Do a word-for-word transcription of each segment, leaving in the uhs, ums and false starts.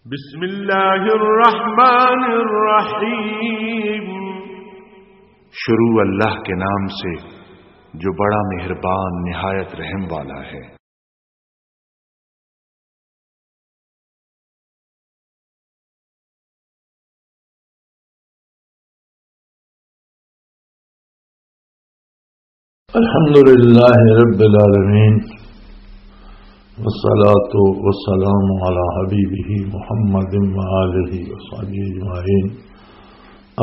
بسم اللہ الرحمن الرحیم۔ شروع اللہ کے نام سے، جو بڑا مہربان، نہایت رحم والا ہے۔ الحمد لله رب العالمين، والصلاة والسلام على حبيبه محمد وآله وصحبه أجمعين.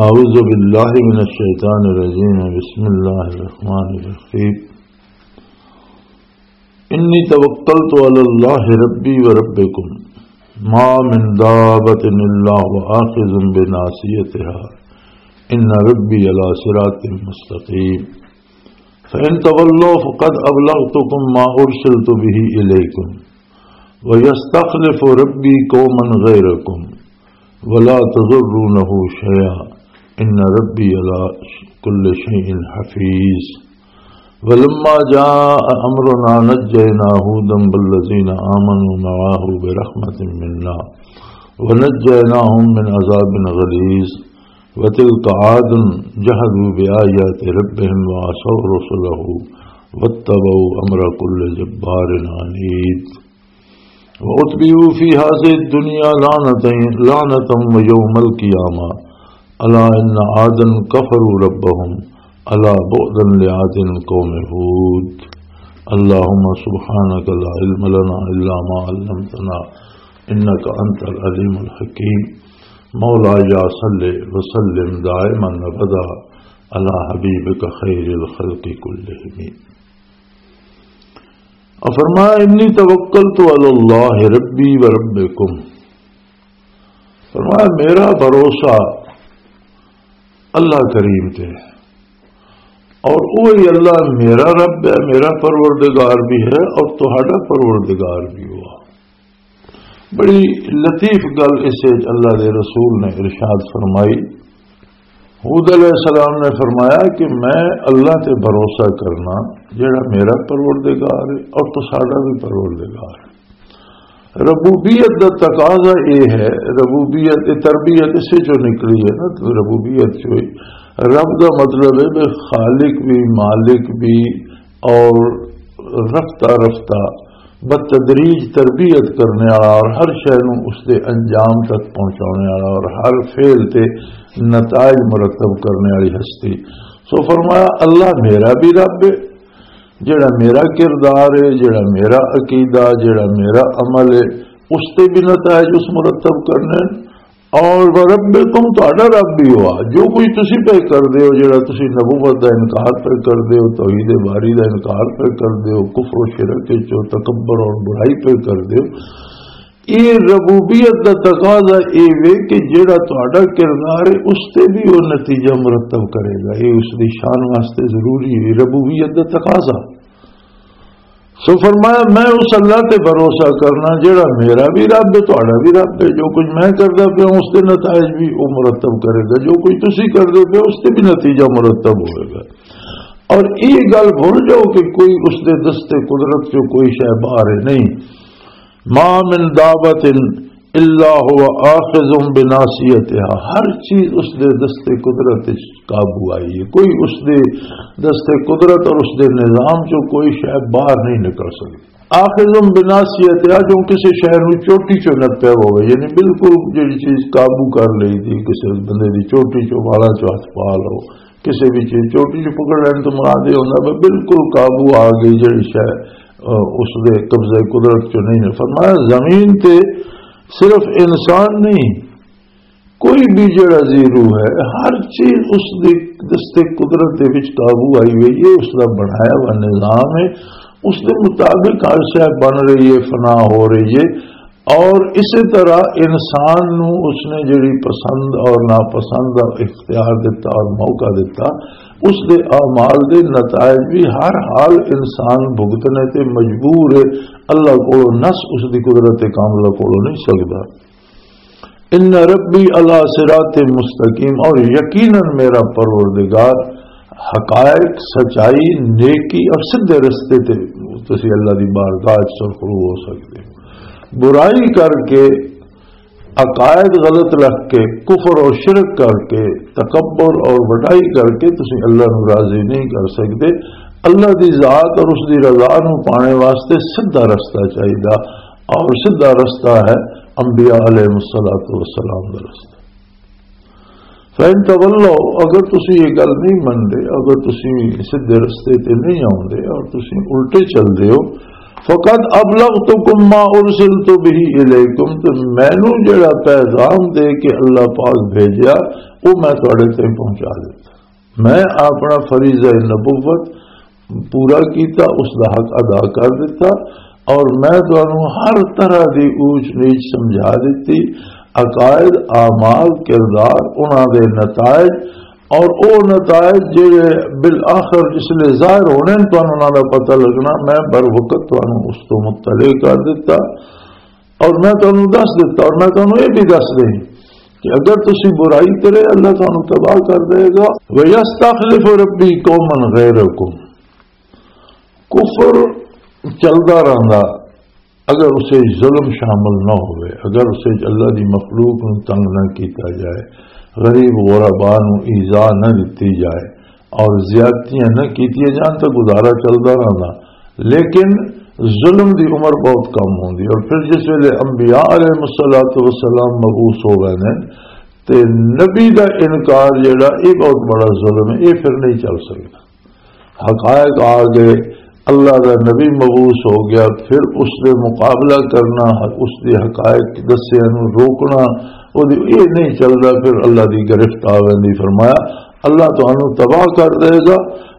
أعوذ بالله من الشيطان الرجيم. بسم الله الرحمن الرحيم. إني توكلت على الله ربي وربكم، ما من دابة إلا هو آخذ بناصيتها، إن ربي على صراط مستقيم. فإن تولوا فقد أبلغتكم ما أرسلت به إليكم، ويستخلف ربي قوما غيركم، ولا تضرونه شيئا، إن ربي على كل شيء حفيظ. ولما جاء أمرنا نجينا هودا والذين آمنوا معه برحمة منا ونجيناهم من عذاب غليظ. وتلك عاد جحدوا بآيات ربهم وعصوا رسله واتبعوا أمر كل جبار عنيد. وأتبعوا في هذه الدنيا لعنة، لعنة ويوم القيامة. ألا إن عادا كفروا ربهم. ألا بعدا لعاد قوم هود. اللهم سبحانك لا علم لنا إلا ما علمتنا إنك أنت العليم الحكيم. مولاي صل وسلم دائما أبدا على حبيبك خير الخلق كلهم. اور فرمایا، "انی توکلت علی اللہ ربی و ربکم۔" فرمایا، میرا بھروسہ اللہ کریم تے ہے، اور وہی اللہ میرا رب ہے، میرا پروردگار بھی ہے اور تہاڈا پروردگار بھی ہوا۔ بڑی لطیف گل اس وچ اللہ دے رسول نے ارشاد فرمائی۔ ہود علیہ السلام نے فرمایا کہ میں اللہ تے بھروسہ کرنا، جڑا میرا پروردگار ہے اور تساڈا بھی پروردگار ہے۔ ربوبیت دا تقاضا اے ہے، ربوبیت، اے تربیت اسے چوں نکلی ہے نا، تو ربوبیت چوں ہی۔ رب دا مطلب ہے کہ خالق بھی، مالک بھی، اور رفتہ رفتہ بتدریج تربیت کرنے والا اور ہر شے نوں اس دے انجام تک پہنچانے والا اور ہر فعل تے نتائج مرتب کرنے والی ہستی۔ سو فرمایا، اللہ میرا بھی رب ہے، جڑا میرا کردار ہے، جڑا میرا عقیدہ، جڑا میرا عمل ہے، اس تے بھی نتائج اس مرتب کرنے۔ اور وربکم، تہاڈا رب بھی ہوا۔ جو کچھ تسی پہ کر دے ہو، جڑا تسی نبوت دا انکار پہ کر دے ہو، توحید باری دا انکار پہ کر دے ہو، کفر و شرک وچ ہو، تکبر اور برائی پہ کر دے ہو، یہ ربوبیت دا تقاضا اے وے کہ جڑا تہاڈا کردار ہے، اس تے بھی وہ نتیجہ مرتب کرے گا۔ یہ اس دی شان واسطے ضروری ہے، ربوبیت دا تقاضا۔ سو فرمایا، میں اس اللہ تے بھروسہ کرنا جڑا میرا بھی رب ہے، تہاڈا بھی رب ہے۔ جو کچھ میں کردا پیا ہوں، اس دے نتائج بھی وہ مرتب کرے گا، جو کچھ تسی کردے پے ہو، اس تے بھی نتیجہ مرتب ہوئے گا۔ اور یہ گل بھول جاؤ کہ کوئی اس دے دست قدرت چوں کوئی شے باہر ہے نہیں۔ ما من دابت الا هو آخذ بناصیتها، ہر چیز اس دے دست قدرت وچ قابو آئی ہے۔ کوئی اس دے دست قدرت اور اس دے نظام چوں کوئی شے باہر نہیں نکل سکتی۔ آخذ بناصیتها، جو کسی شے نوں چوٹی چوں نپیا ہوئے، یعنی بالکل جڑی چیز قابو کر لئی دی، کسی بندے دی چوٹی چوں، والا چوں ہاتھ پا لو، کسی بھی چیز چوٹی چوں پکڑ لین تو مراد یہ ہوتا ہے بالکل قابو آ گئی جڑی شے، آ، اس دے قبضہ قدرت چوں نہیں ہے۔ فرمایا، زمین تے صرف انسان نہیں، کوئی بھی جڑا زیرو ہے، ہر چیز اس دے دست قدرت دے وچ قابو آئی ہوئی ہے، اس دا بنایا ہوا نظام ہے، اس دے مطابق ہر شے بن رہی ہے، فنا ہو رہی ہے۔ اور اسی طرح انسان نو اس نے جڑی پسند اور ناپسند دا اختیار دتا اور موقع دتا، اس دے اعمال دے نتائج بھی ہر حال انسان بھگتنے تے مجبور ہے۔ اللہ کولوں نس اس دی قدرت کاملہ کولوں نہیں سکدا۔ ان ربی علی صراط مستقیم، اور یقیناً میرا پروردگار حقائق، سچائی، نیکی اور سیدھے رستے تے تسی اللہ دی بارگاہ وچ سرخرو ہو سکدے ہو۔ برائی کر کے عقائد غلط رکھ کے، کفر اور شرک کر کے، تکبر اور وڈائی کر کے تسی اللہ نو راضی نہیں کر سکدے۔ اللہ دی ذات اور اس دی رضا نو پانے واسطے سدھا رستہ چاہیدا، اور سدھا رستہ ہے انبیاء علیہ الصلوۃ والسلام دا رستہ۔ فَإِن تَوَلَّوْا، اگر تسی یہ گل نہیں مندے، اگر تسی سدھے رستے تے نہیں آوندے اور تسی الٹے چل دے ہو، فَقَدْ أَبْلَغْتُكُمْ مَا أُرْسِلْتُ بِهِ إِلَيْكُمْ، تو مینوں جڑا پیغام دے کے اللہ پاک بھیجیا، وہ میں تواڈے تے پہنچا دیتا۔ میں اپنا فریضہ نبوت پورا کیتا، اس دا حق ادا کر دیتا، اور میں تانوں ہر طرح دی اونچ نیچ سمجھا دیتی، عقائد، اعمال، کردار، انہاں دے نتائج، اور او نتائج جڑے بالآخر جس لے ظاہر ہونے نے، تانوں انہاں دا پتہ لگنا، میں بر وقت تانوں اس تو مطلع کر دیتا۔ اور میں تانوں دس دیتا، اور میں تانوں یہ بھی دس دیں کہ اگر تسی برائی کرے، اللہ تانوں تباہ کر دے گا۔ وَيَسْتَخْلِفُ رَبِّي قَوْمًا غَيْرَكُمْ، کفر چلدا رہندا، اگر اسے ظلم شامل نہ ہوئے، اگر اسے اللہ دی مخلوق نوں تنگ نہ کیتا جائے، غریب غربا نوں ایذا نہ دتی جائے اور زیادتیاں نہ کیتیاں جان، تو گزارا چلدا رہندا۔ لیکن ظلم دی عمر بہت کم ہوندی، اور پھر جس ویلے انبیاء علیہ الصلوۃ والسلام مبعوث ہو گئے نے، تے نبی دا انکار جڑا، یہ بہت بڑا ظلم ہے، یہ پھر نہیں چل سکدا۔ حقائق آ گئے، اللہ دا نبی مبعوث ہو گیا، پھر اس دے مقابلہ کرنا، اس دے حقائق دسیاں نوں روکنا، وہ دی-، یہ نہیں چلدا، پھر اللہ دی گرفت آ ویندی۔ فرمایا، اللہ تانوں تباہ کر دے گا۔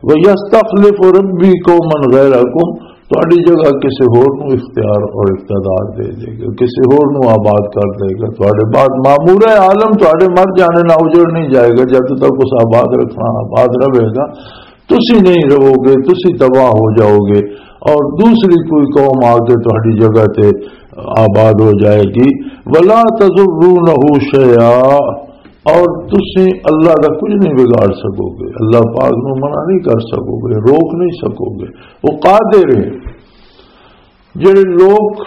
وَيَسْتَخْلِفُ رَبِّي قَوْمًا غَيْرَكُمْ، تہاڈی جگہ کسے ہور نوں اختیار اور اقتدار دے دے گا، کسے ہور نوں آباد کر دے گا۔ تہاڈے بعد معمور عالم تہاڈے مر جانے نال اجڑ نہیں جائے گا، جد تک اس آباد رکھنا آباد رہے گا، تسی نہیں رہو گے، تسی تباہ ہو جاؤ گے، اور دوسری کوئی قوم آ کے تہاڈی جگہ تے آباد ہو جائے گی۔ وَلَا تَضُرُّونَهُ شَيْئًا، اور تسی اللہ دا کچھ نہیں بگاڑ سکو گے، اللہ پاک نو منع نہیں کر سکو گے، روک نہیں سکو گے۔ وہ قادر ہے۔ جڑے لوگ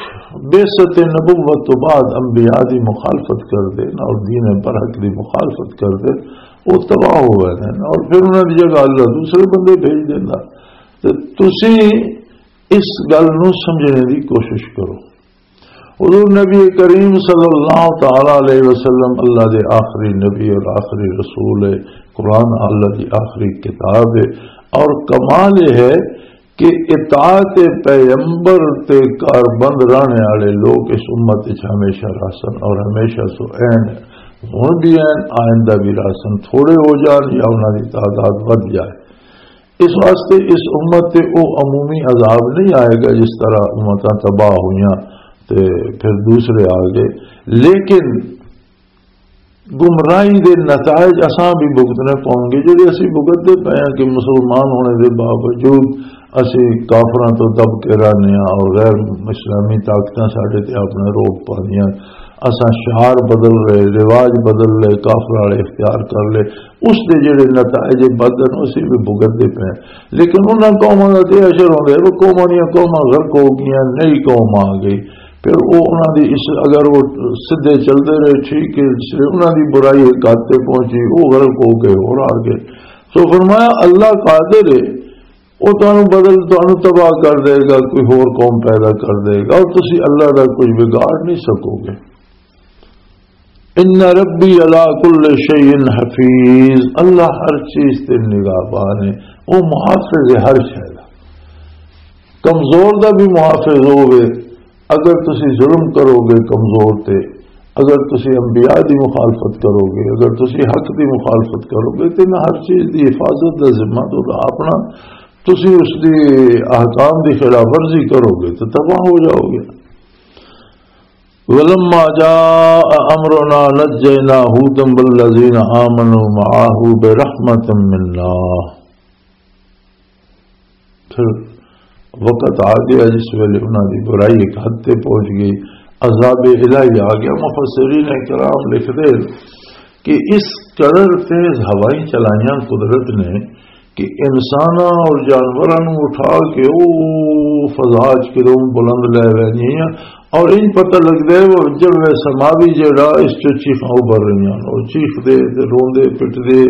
بعثت نبوت تو بعد انبیاء دی مخالفت کر دے اور دین برحق دی مخالفت کر دے، وہ تباہ ہو گئے ہیں، اور پھر انہاں دی جگہ اللہ دوسرے بندے بھیج دینا۔ تے تسی اس گل نو سمجھنے دی کوشش کرو۔ حضور نبی کریم صلی اللہ تعالی علیہ وسلم اللہ دے آخری نبی اور آخری رسول ہے، قرآن اللہ دی آخری کتاب ہے، اور کمال یہ ہے کہ اطاعت پیغمبر تے کاربند رہنے والے لوگ اس امت وچ ہمیشہ رہسن اور ہمیشہ سو این، ہن بھی این، آئندہ بھی رہسن، تھوڑے ہو جان یا انہاں دی تعداد ودھ جائے۔ اس واسطے اس امت تے او عمومی عذاب نہیں آئے گا جس طرح امتاں تباہ ہوئیاں تے پھر دوسرے آ گئے، لیکن گمراہی دے نتائج اساں بھی بھگتنے پاؤں گے، جڑے اسی بھگتتے پے ہیں کہ مسلمان ہونے دے باوجود اسی کافراں تو دب کے رہنے ہاں اور غیر اسلامی طاقتاں ساڈے تے اپنا روب پاندیاں۔ اساں شعار بدل رہے، رواج بدل لے، کافر والے اختیار کر لے، اس دے جڑے نتائج بدن اسی بھی بھگتتے پے ہیں۔ لیکن انہاں قوماں دا تے اثر ہوندا ہے، وہ قوماں دیاں قوماں غرق ہو گئیاں، نئی قوم آ گئی۔ پھر وہ انہاں دی اس، اگر وہ سدھے چلدے رہے، ٹھیک ہے، اس لیے انہاں دی برائی ایک حد تے پہنچی، وہ غرق ہو گئے، اور آ گئے۔ تو فرمایا، اللہ قادر ہے، وہ تانوں بدل، تانوں تباہ کر دے گا، کوئی ہور قوم پیدا کر دے گا، اور تسی اللہ دا کچھ بگاڑ نہیں سکو گے۔ ان ربی علی کل شیء حفیظ، اللہ ہر چیز تے نگہبان ہے، وہ محافظ ہے ہر شے دا۔ کمزور دا بھی محافظ ہوے، اگر تسی ظلم کرو گے کمزور تے، اگر تسی انبیاء دی مخالفت کرو گے، اگر تسی حق دی مخالفت کرو گے، تے نہ ہر چیز دی حفاظت دا ذمہ تو اپنا، تسی اس دی احکام دی خلاف ورزی کرو گے تو تباہ ہو جاؤ گے۔ ولما جاء امرنا نجینا هودا والذین آمنوا معه برحمة منا۔ پھر وقت آ گیا جس ویلے انہاں دی برائی ایک حد تے پہنچ گئی، عذاب الہی آ گیا۔ مفسرین کرام لکھدے کہ اس قدر تیز ہوائیں چلائیاں قدرت نے کہ انساناں اور جانوراں نوں اٹھا کے او فضا چ کدوں بلند لے ویندیاں، اور ان پتہ لگدا ہے وہ جب وہ سماوی جڑا اس چوں چیخاں ابھر رہیاں، وہ چیخ دے تے روندے پٹدے،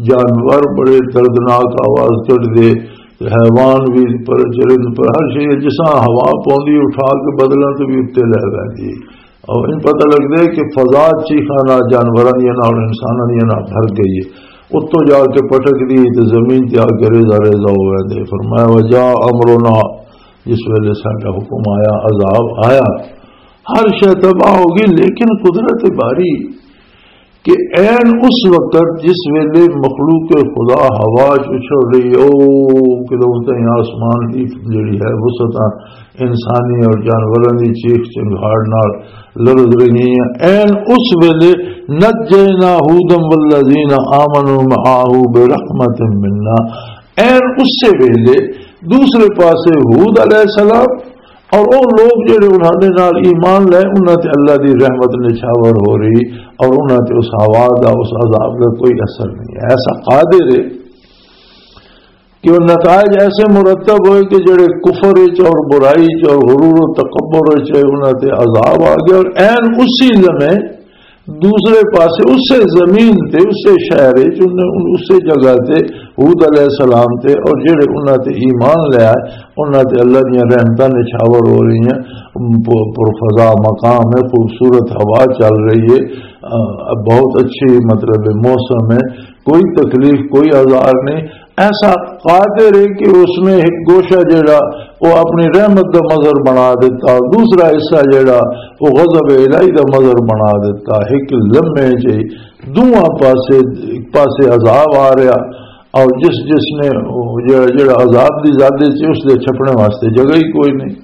جانور بڑے دردناک آواز کڈدے، تے حیوان بھی پر چرند پر ہر شے جساں ہوا پوندی اٹھا کے بدلاں تے بھی اتنے لے ویندی۔ اور ان پتہ لگدا ہے کہ فضا چیخاں نال جانوراں دیاں نال اور انساناں دیاں نال بھر گئی ہے۔ اتوں جا کے پٹک دی تے زمین تے آ کے ریزہ ریزہ ہو ویندے۔ فرمایا، وجاء امرنا، جس ویلے ساڈا حکم آیا، عذاب آیا، ہر شے تباہ ہو گئی، لیکن قدرت باری کہ عین اس وقت جس ویلے مخلوق خدا ہوا چ اچھل رہی ہے، او قدرت آسمان دی جڑی ہے وسعتاں انسانی اور جانوراں دی چیخ چنگھاڑ نال لرز رہی ہیں، عین اس ویلے نجینا ہودا والذین آمنوا معه برحمت منا، عین اسی ویلے دوسرے پاسے ہود علیہ السلام اور وہ لوگ جڑے انہاں دے نال ایمان لے، انہاں تے اللہ دی رحمت نچھاور ہو رہی اور انہاں تے اس ہوا دا، اس عذاب دا کوئی اثر نہیں ہے۔ ایسا قادر ہے کہ وہ نتائج ایسے مرتب ہوئے کہ جڑے کفر وچ اور برائی وچ اور غرور و تکبر وچ ہوئے، انہاں تے عذاب آ گیا اور عین اسی لمحے دوسرے پاسے اسے زمین تے، اسے شہر وچ، انہاں، اسے جگہ تے ہود علیہ السلام تے اور جڑے انہاں تے ایمان لے آئے، انہاں تے اللہ دیاں رحمتاں نچھاور ہو رہی ہیں، پ-، پر فضا مقام ہے، خوبصورت ہوا چل رہی ہے، آ، بہت اچھی، مطلب، موسم ہے، کوئی تکلیف، کوئی آزار نہیں۔ ایسا قادر ہے کہ اس نے ایک گوشہ جڑا وہ اپنی رحمت دا مظہر بنا دیتا، دوسرا حصہ جڑا وہ غضب الہی دا مظہر بنا دیتا۔ ایک لمحے چ دونوں پاسے، ایک پاسے عذاب آ رہا اور جس، جس نے جڑا، جڑا عذاب دی زیادہ سی، اس دے چھپنے واسطے جگہ ہی کوئی نہیں۔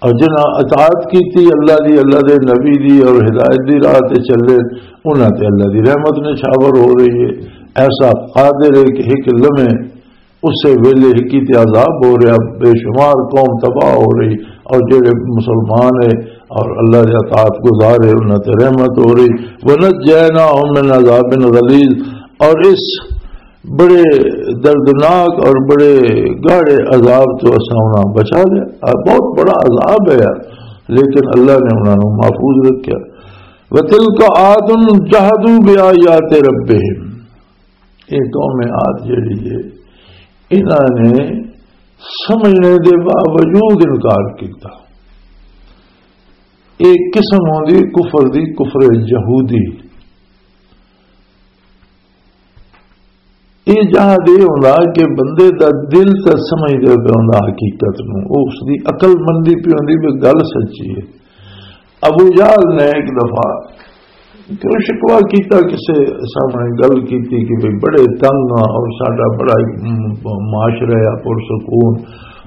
اور جنہاں اطاعت کیتی اللہ دی، اللہ دے نبی دی اور ہدایت دی راہ تے چلے، انہاں تے اللہ دی رحمت نچھاور ہو رہی ہے۔ ایسا قادر ہے کہ ایک لمحے اسے ویلے ہکی تے عذاب ہو رہا، بے شمار قوم تباہ ہو رہی، اور جڑے مسلمان ہے اور اللہ دے اطاعت گزار ہے، انہاں تے رحمت ہو رہی۔ وَنَجَّيْنَاهُمْ مِنْ عَذَابٍ غَلِيظٍ، اور اس بڑے دردناک اور بڑے گاڑے عذاب تو اساں انہاں بچا لیا۔ آ، بہت بڑا عذاب ہے یار، لیکن اللہ نے انہاں نوں محفوظ رکھیا۔ وَتِلْكَ عَادٌ جَحَدُوا بِآيَاتِ رَبِّهِمْ۔ یہ قوم عاد جڑی ہے، انہاں نے سمجھنے دے باوجود انکار کیتا۔ ایک قسم ہوندی کفر دی، کفر یہودی۔ یہ جہاں دے ہوندا کہ بندے دا دل تے سمجھ دے پہ ہوندا حقیقت نو، او اس دی عقل مندی پہ ہوندی بھی گل سچی ہے۔ ابو جہل نے ایک دفعہ کیوں شکوہ کیتا، کسے سامنے گل کیتی کہ بھئی بڑے تنگ ہاں اور ساڈا بڑا، م، معاشرہ ہے پرسکون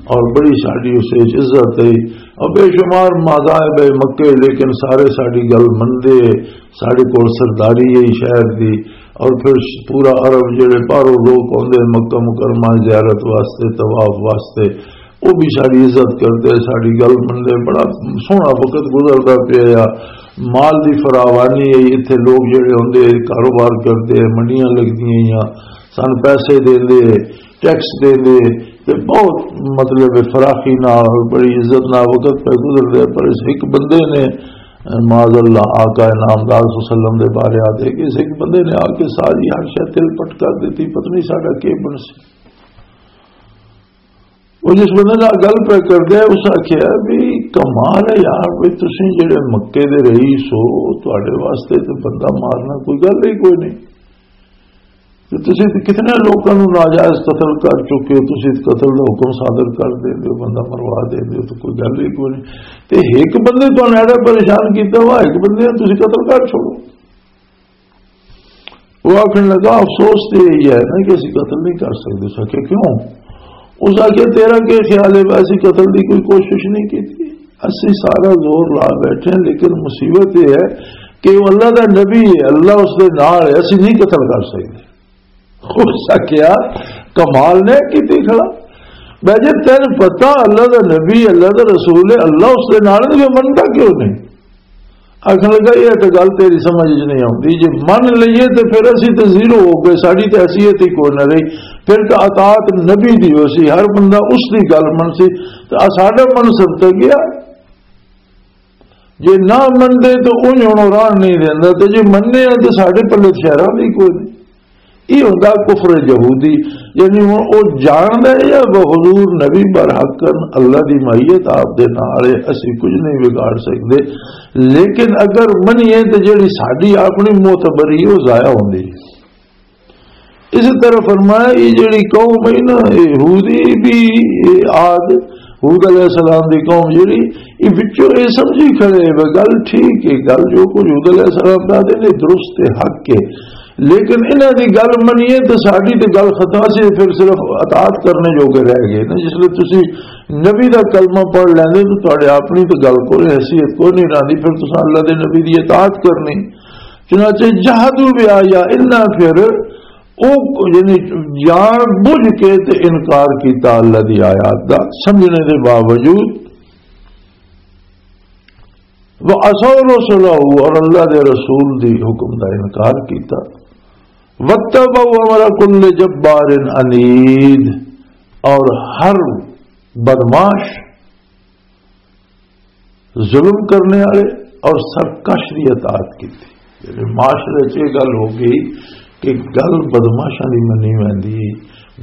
اور بڑی ساڈی اس وچ عزت ہے اور بے شمار مذاہب ہے مکے، لیکن سارے ساڈی گل مندے، ساڈے کول سرداری ہے شہر دی، اور پھر پورا عرب جڑے باہروں لوگ آندے مکہ مکرمہ زیارت واسطے، طواف واسطے، وہ بھی ساری عزت کردے، ساری گل مندے۔ بڑا سوہنا وقت گزردا پیا آ۔ مال دی فراوانی ہے، اتھے لوگ جڑے ہوندے کاروبار کردے، منڈیاں لگدیاں آ، سن پیسے دیندے، ٹیکس دیندے، تے بہت، مطلب، فراخی نال اور بڑی عزت نال وقت پہ گزردے۔ پر اس ایک بندے نے، معاذ اللہ، آقا نامدار صلی اللہ علیہ وسلم دے بارے آ دے کہ اس ایک بندے نے آ کے ساری ہر شے تل پٹ کر دیتی، پتہ نہیں ساڈا کی بنسی۔ وہ جس بندے نال گل پہ کردے، اس آکھیا بھی کمال ہے یار، بھی تسی جڑے مکے دے رئیس ہو، تہاڈے واسطے تے بندہ مارنا کوئی گل ہی کوئی نہیں۔ تے تسی تے کتنے لوکاں نوں ناجائز قتل کر چکے ہو، تسی تے قتل دا حکم صادر کر دیندے ہو، بندہ مروا دیندے ہو، تے کوئی گل ہی کوئی نہیں۔ تے ایک بندے تہانوں ایڈا پریشان کیتا ہوا، ایک بندے نوں تسی قتل کر چھوڑو۔ وہ آکھن لگا، افسوس تے یہی ہے نا کہ اسی قتل نہیں کر سکتے۔ اس آکھیا، کیوں؟ اس آکھیا، تیرا کیا خیال ہے، اسی قتل دی کوئی کوشش نہیں کی؟ اسی سارا زور لا بیٹھے ہیں، لیکن مصیبت یہ ہے کہ وہ اللہ دا نبی ہے، اللہ اس دے نال ہے، اسی نہیں قتل کر سکتے۔ اس آکھیا، کمال نے کیتی کھڑا۔ میں جے تین پتہ اللہ دا نبی، اللہ دا رسول ہے، اللہ اس دے نال ہے، تو منتا کیوں نہیں؟ آکھن لگا، یہ تو گل تیری سمجھ وچ نہیں آتی، جے من لئیے تو پھر اسی تو زیرو ہو گئے، ساری تو حیثیت ہی کوئی نہ رہی۔ پھر تو اطاعت نبی دی ہو سی، ہر بندہ اس دی گل من سی، تو ساڈا منصب تو گیا۔ جے نہ منندے تے اونج ہن راہ نہیں دیندا، تے جے مننے آ تے ساڈے پلے شہراں دی کوئی نہیں۔ یہ ہوندا کفر یہودی، یعنی ہن او جاندا ہے یا وہ حضور نبی برحق کن اللہ دی معیت آپ دے نال ہے، اسی کچھ نہیں بگاڑ سکدے۔ لیکن اگر منیے تے جڑی ساڈی اپنی معتبری او ضائع ہوندی ہے۔ اس طرح فرمایا، یہ جڑی قوم ہے نا، یہ ہودی بھی، یہ عاد، ہود علیہ السلام دی قوم جڑی، یہ وچوں یہ سمجھی کھڑے، وہ گل ٹھیک ہے، گل جو کچھ ہود علیہ السلام دا دے نے درست ہے، حق ہے، لیکن انہاں دی گل منیے تے ساڈی تے گل ختم سی، پھر صرف اطاعت کرنے جوگے رہ گئے نا۔ جس لئے تسی نبی دا کلمہ پڑھ لیندے تو تہاڈے اپنی تے گل کوئی حیثیت کوئی نہیں رہندی، پھر تساں اللہ دے نبی دی اطاعت کرنی۔ چنانچہ جہدوا بآیا، انہاں پھر او، یعنی جان بوجھ کے تے انکار کیتا اللہ دی آیات دا سمجھنے دے باوجود۔ وعصوا رسله، اور اللہ دے رسول دی حکم دا انکار کیتا۔ واتبعوا امر كل جبار عنيد، اور ہر بدمعاش، ظلم کرنے والے اور سرکش دی اطاعت کی تھی۔ یعنی معاشرے چ یہ گل ہو گئی کہ گل بدمعاشاں دی منی ویندی،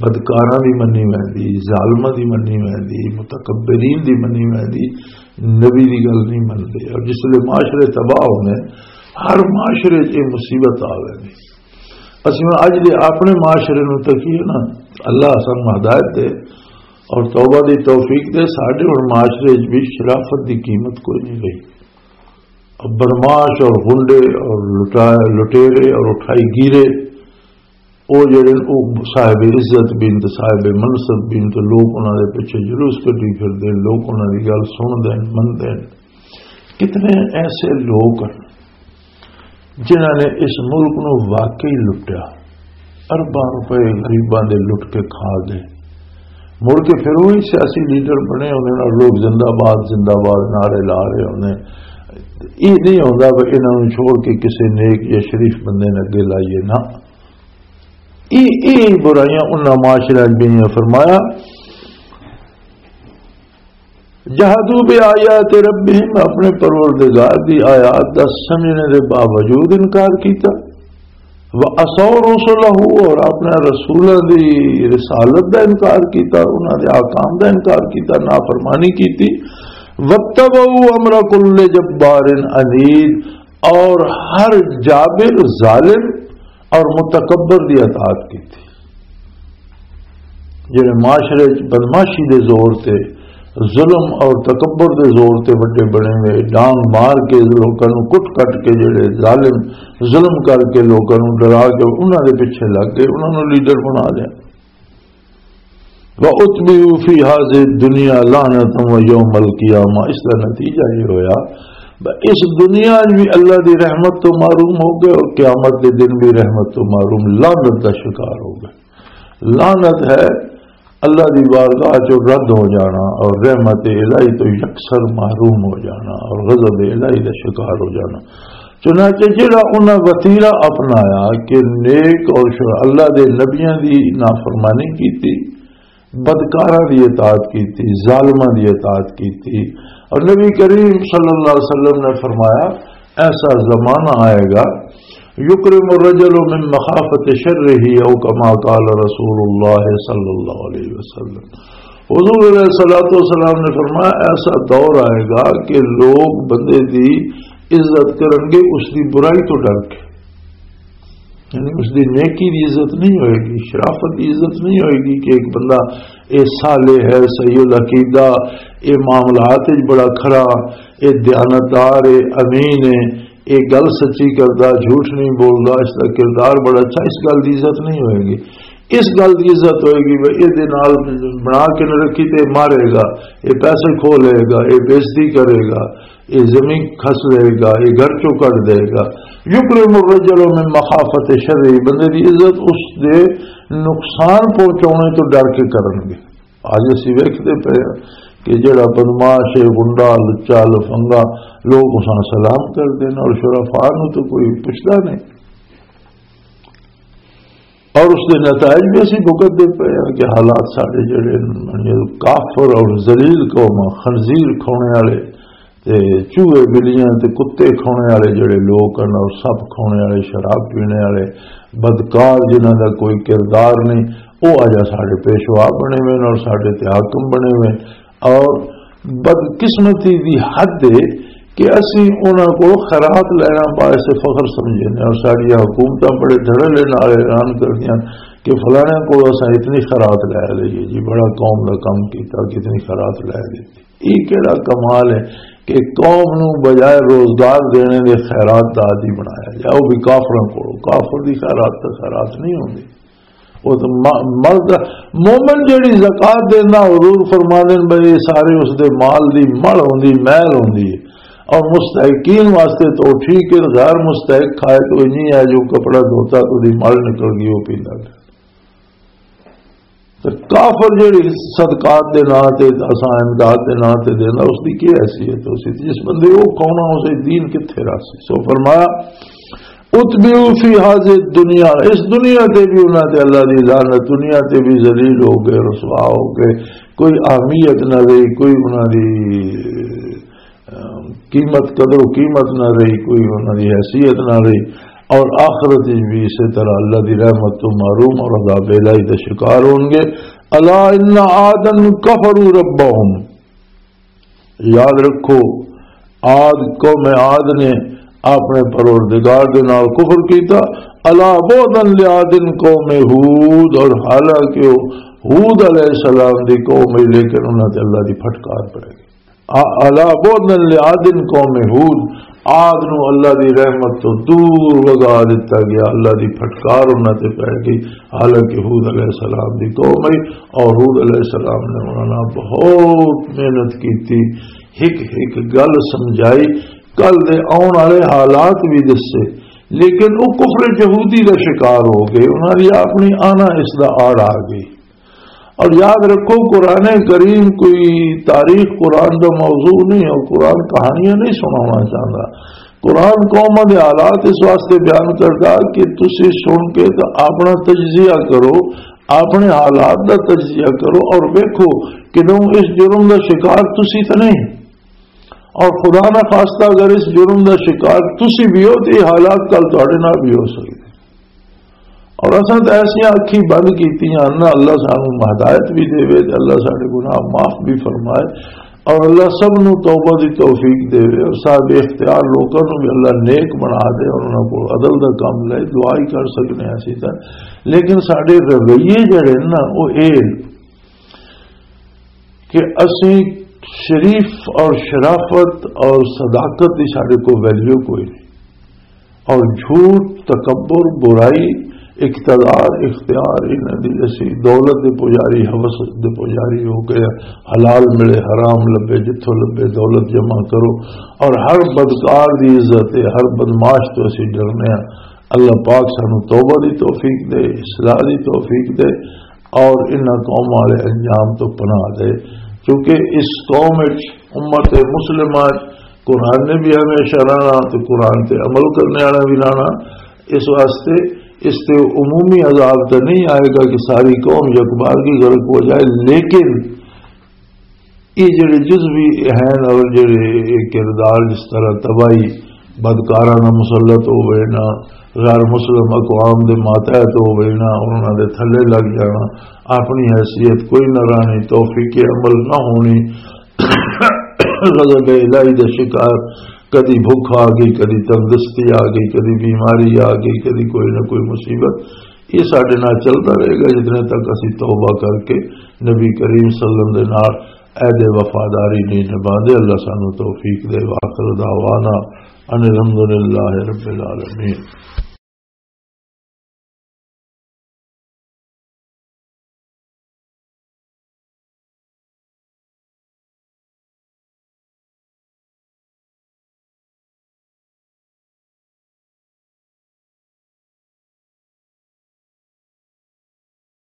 بدکاراں دی منی ویندی، ظالماں دی منی ویندی، متکبرین دی منی ویندی، نبی دی گل نہیں منتے۔ اور جس ویلے معاشرے تباہ ہونے، ہر معاشرے چ یہ مصیبت آ ویندی۔ اسی ہن اج دے اپنے معاشرے نوں تکیے نا، اللہ سانوں ہدایت دے اور توبہ دی توفیق دے، ساڈے ہن معاشرے وچ بھی شرافت دی قیمت کوئی نہیں رہی۔ اب بدمعاش اور غنڈے اور لٹا-، لٹیرے اور اٹھائی گیرے، او جڑے او صاحب عزت بین تے صاحب منصب بین تے لوگ انہاں دے پیچھے جلوس کڈی پھردے، لوگ انہاں دی گل سن دین، من دین۔ کتنے ایسے لوگ ہیں جنہاں نے اس ملک نو واقعی لٹیا، ارباں روپے غریباں دے لٹ کے کھا گئے۔ مڑ کے پھر وہی سیاسی لیڈر بنے ہوندے نے اور لوگ زندہ باد، زندہ باد نعرے لا رہے ہوندے نے۔ یہ نہیں ہوندا کہ انہاں نوں چھوڑ کے کسی نیک یا شریف بندے نے اگے لائیے نا۔ یہ، یہ برائیاں انہاں معاشرے وچ بھی نہیں۔ فرمایا، جہدوا بآیات ربہم، اپنے پروردگار دی آیات دا سمجھنے دے باوجود انکار کیتا۔ وعصوا رسلہ، اور اپنے رسولاں دی رسالت دا انکار کیتا، انہاں دے احکام دا انکار کیتا، نافرمانی کیتی۔ واتبعوا امر کل جبار عنید، اور ہر جابر، ظالم اور متکبر دی اطاعت کیتی۔ جڑے معاشرے وچ بدمعاشی دے زور تے، ظلم اور تکبر دے زور تے وڈے بنے ہوئے، ڈانگ مار کے لوکاں نوں کٹ کٹ کے، جڑے ظالم ظلم کر کے لوکاں نوں ڈرا کے انہاں دے پیچھے لگ گئے، انہاں نوں لیڈر بنا لیا۔ وَأُتْبِعُوا فِي هَٰذِهِ الدُّنْيَا لَعْنَةً وَيَوْمَ الْقِيَامَةِ، اس کا نتیجہ یہ ہویا، ب-، اس دنیا میں بھی اللہ دی رحمت تو محروم ہو گئے اور قیامت کے دن بھی رحمت تو محروم، لعنت کا شکار ہو گئے۔ لعنت ہے اللہ دی بارگاہ چوں رد ہو جانا اور رحمت الہی تو یکسر محروم ہو جانا اور غضب الہی دا شکار ہو جانا۔ چنانچہ جڑا انہاں وتیرا اپنایا کہ نیک اور شر-، اللہ دے نبیاں دی نافرمانی کیتی، بدکاراں دی اطاعت کیتی، ظالماں دی اطاعت کیتی، اور نبی کریم صلی اللہ علیہ وسلم نے فرمایا، ایسا زمانہ آئے گا، یکرم الرجل من مخافت شرہ، او کما قال رسول اللہ صلی اللہ علیہ وسلم۔ حضور علیہ الصلوۃ والسلام نے فرمایا، ایسا دور آئے گا کہ لوگ بندے دی عزت کرن گے اس دی برائی تو ڈر کے، یعنی اس دی نیکی دی عزت نہیں ہوئے گی، شرافت دی عزت نہیں ہوئے گی کہ ایک بندہ اے صالح ہے، صحیح العقیدہ، اے معاملات وچ بڑا کھرا، اے دیانتدار ہے، امین ہے، اے گل سچی کردا، جھوٹ نہیں بولدا، اس دا کردار بڑا اچھا، اس گل دی عزت نہیں ہوئے گی۔ اس گل دی عزت ہوئے گی، بھئی اے دے نال بنا کے نہ رکھی تے مارے گا، اے پیسے کھو لے گا، اے بےعزتی کرے گا، اے زمین کھس لے گا، اے گھر چوں کڈ دے گا۔ یکرم الرجل من مخافت شرہ، بندے دی عزت اس دے نقصان پہنچانے تو ڈر کے کرن گے۔ اج اسی ویکھدے پئے ہاں کہ جڑا بدمعاش ہے، گنڈا، لچا، لفنگا، لوگ اساں سلام کردے نے اور شرفاء نوں تو کوئی پچھدا نہیں۔ اور اس دے نتائج بھی اسی بھگتدے پئے ہاں کہ حالات ساڈے جڑے نے، کافر اور ذلیل قوم، خنزیر کھونے والے، تے چوہے، بلیاں تے کتے کھانے والے جڑے لوگ ہن، اور سپ کھانے والے، شراب پینے والے، بدکار، جنہاں دا کوئی کردار نہیں، او اجا ساڈے پیشوا بنے ہوئے نے اور ساڈے تے حاکم بنے ہوئے نے۔ اور بدقسمتی دی حد ہے کہ اسی انہاں کو خیرات لینا باعث فخر سمجھے نے، اور ساڈیاں حکومتاں بڑے دھڑلے نال اعلان کردیاں کہ فلانے کو اساں اتنی خیرات لے لئیے جی، بڑا قوم دا کم کیتا، کتنی خیرات لے لیتی۔ یہ کہڑا کمال ہے کہ قوم نو بجائے روزگار دینے دے خیرات دا عادی بنایا جائے؟ وہ بھی کافراں کولوں۔ کافر دی خیرات تو خیرات نہیں ہوندی۔ وہ تو م-، مرد، مومن جڑی زکوٰۃ دیندا، حضور فرماندے نے بھئی، یہ سارے اس دے مال دی مل ہوندی، میل ہوندی ہے۔ اور مستحقین واسطے تو ٹھیک ہے، غیر مستحق کھائے تو نہیں ہے، جو کپڑا دھوتا تو دی مل نکل گئی، وہ پیندا۔ تے کافر جڑی صدقات دے ناں تے، اساں امداد دے ناں تے دینا، اس دی کی حیثیت؟ اس دی، جس بندے وہ کھونا، اسے دین کتھے رکھ سی؟ سو فرمایا، "اتبعوا فی هذه الدنیا"، اس دنیا تے بھی انہاں تے اللہ دی لعنت، دنیا تے بھی ذلیل ہو گئے، رسوا ہو گئے، کوئی اہمیت نہ رہی، کوئی انہاں دی قیمت، قدر و قیمت نہ رہی، کوئی انہاں دی حیثیت نہ رہی، اور آخرت وچ بھی اسی طرح اللہ دی رحمت تو محروم اور عذاب الہی دا شکار ہون گے۔ الا ان عادا کفروا ربہم، یاد رکھو، عاد، قوم عاد نے اپنے پروردگار دے نال کفر کیتا۔ الا بعدا لعاد قوم ہود، اور حالانکہ وہ ہود علیہ السلام دی قوم ہے، لیکن انہاں تے اللہ دی پھٹکار پڑ گئی۔ آ-، الا بعدا لعاد قوم ہود، عاد نو اللہ دی رحمت تو دور وگا دتا گیا، اللہ دی پھٹکار انہاں تے پے گئی۔ حالانکہ ہود علیہ السلام دی قوم ہے اور ہود علیہ السلام نے انہاں نال بہت محنت کیتی، ہک ہک گل سمجھائی، کل دے آن والے حالات بھی دسے، لیکن وہ کفر یہودی دا شکار ہو گئے، انہاں دی اپنی آنا اس دا آڑ آ گئی۔ اور یاد رکھو، قرآن کریم کوئی تاریخ قرآن دا موضوع نہیں، اور قرآن کہانیاں نہیں سنانا چاہتا۔ قرآن قوماں دے حالات اس واسطے بیان کردا کہ تسی سن کے تے اپنا تجزیہ کرو، اپنے حالات دا تجزیہ کرو اور ویکھو کہ اس جرم دا شکار تسی تے نہیں۔ اور خدا نہ خواستہ اگر اس جرم دا شکار تسی بھی ہو، تے یہ حالات کل تہاڈے نال بھی ہو سکدے۔ اور اساں تے ایسیاں اکھیں بند کیتیاں نہ، اللہ سانو ہدایت بھی دے، تے اللہ ساڈے گناہ معاف بھی فرمائے، اور اللہ سب نو توبہ دی توفیق دے، اور صاحب اختیار لوکاں نو بھی اللہ نیک بنا دے، اور انہاں کو عدل دا کم لے، دعا ہی کر سکنے ہیں اسی تے۔ لیکن ساڈے رویے جڑے نا، وہ اے کہ اسی شریف اور شرافت اور صداقت دی ساڈے کو ویلیو کوئی نہیں، اور جھوٹ، تکبر، برائی، اقتدار، اختیار، انہاں دی اسی دولت دے پجاری، ہوس دے پجاری ہو گئے۔ حلال ملے، حرام لبے، جتھوں لبے دولت جمع کرو، اور ہر بدکار دی عزت ہے، ہر بدمعاش تو اسی ڈرنے ہیں۔ اللہ پاک سانو توبہ دی توفیق دے، اصلاح دی توفیق دے، اور انہاں قوم والے انجام تو پناہ دے، کیونکہ اس قوم وچ، امت مسلمہ وچ، قرآن نے بھی ہمیشہ رہنا تے قرآن تے عمل کرنے والا بھی رہنا۔ اس واسطے اس تے عمومی عذاب تو نہیں آئے گا کہ ساری قوم یکبار کی غرق ہو جائے، لیکن یہ جڑے جزوی ہیں اور جڑے یہ کردار، جس طرح تباہی بدکاراں نال مسلط ہو گئے نا، غیر مسلم اقوام دے ماتحت ہو گئے نا، انہاں دے تھلے لگ جانا، اپنی حیثیت کوئی نہ رہنی، توفیق عمل نہ ہونی، غضب الہی دا شکار، کدی بھوک آ گئی، کدی تندرستی آ گئی، کدی بیماری آ گئی، کدی کوئی نہ کوئی مصیبت، یہ ساڈے نال چلدا رہے گا جتنے تک اسی توبہ کر کے نبی کریم صلی اللہ علیہ وسلم دے نال عہد وفاداری نہیں نبھاندے۔ اللہ سانو توفیق دے۔ وآخر دعوانا ان الحمدللہ رب العالمین۔